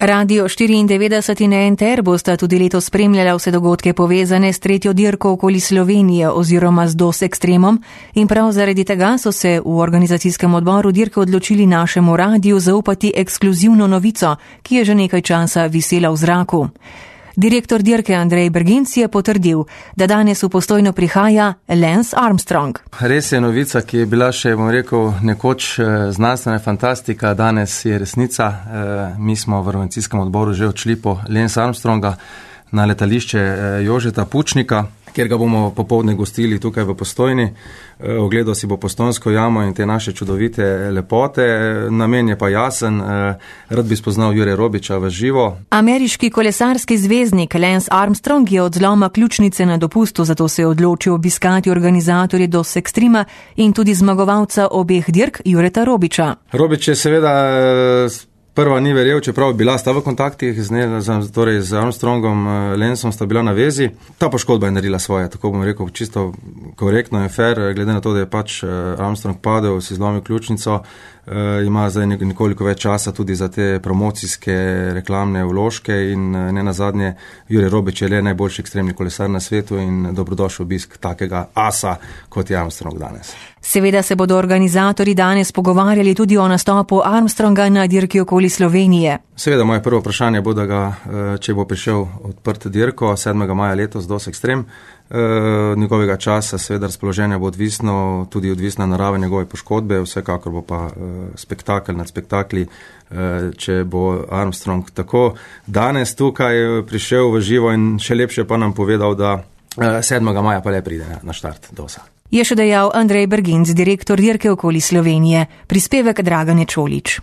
Radio 94 in NTR bosta tudi letos spremljala vse dogodke povezane s tretjo dirko okoli Slovenije oziroma z DOS Extremom in prav zaradi tega so se v organizacijskem odboru dirke odločili našemu radiju zaupati ekskluzivno novico, ki je že nekaj časa visela v zraku. Direktor dirke Andrej Berginc je potrdil, da danes v Postojno prihaja Lance Armstrong. Res je novica, ki je bila še, nekoč znanstvena fantastika, danes je resnica. Mi smo v organizacijskem odboru že odšli po Lance Armstronga na letališče Jožeta Pučnika, kjer ga bomo popoldne gostili tukaj v Postojni. Ogledal si bo Postojnsko jamo in te naše čudovite lepote. Namen je pa jasen, rad bi spoznal Jure Robiča v živo. Ameriški kolesarski zvezdnik Lance Armstrong je od zloma ključnice na dopustu, zato se je odločil obiskati organizatorje DOS Extrema in tudi zmagovalca obeh dirk Jureta Robiča. Robič je seveda prva ni verjel, čeprav bila sta v kontaktih z Armstrongom, Lanceom sta bila na vezi. Ta poškodba je naredila svoje, tako bom rekel, čisto korektno in fair, glede na to, da je pač Armstrong padel, si zlomil ključnico, ima zdaj nekoliko več časa tudi za te promocijske reklamne vložke in ne nazadnje Jure Robič je le najboljši ekstremni kolesar na svetu in dobrodošel obisk takega asa, kot je Armstrong danes. Seveda se bodo organizatorji danes pogovarjali tudi o nastopu Armstronga na dirki okoli Slovenije. Seveda, moje prvo vprašanje bo, da ga, če bo prišel odprt dirko 7. maja letos DOS Extreme, njegovega časa, seveda razpoloženja bo tudi odvisna narava njegove poškodbe, vsekakor bo pa spektakel nad spektakli, če bo Armstrong tako danes tukaj prišel v živo in še lepše pa nam povedal, da 7. maja pa le pride na štart DOS-a. Je še dejal Andrej Berginc, direktor dirke okoli Slovenije. Prispevek Dragane Čolič.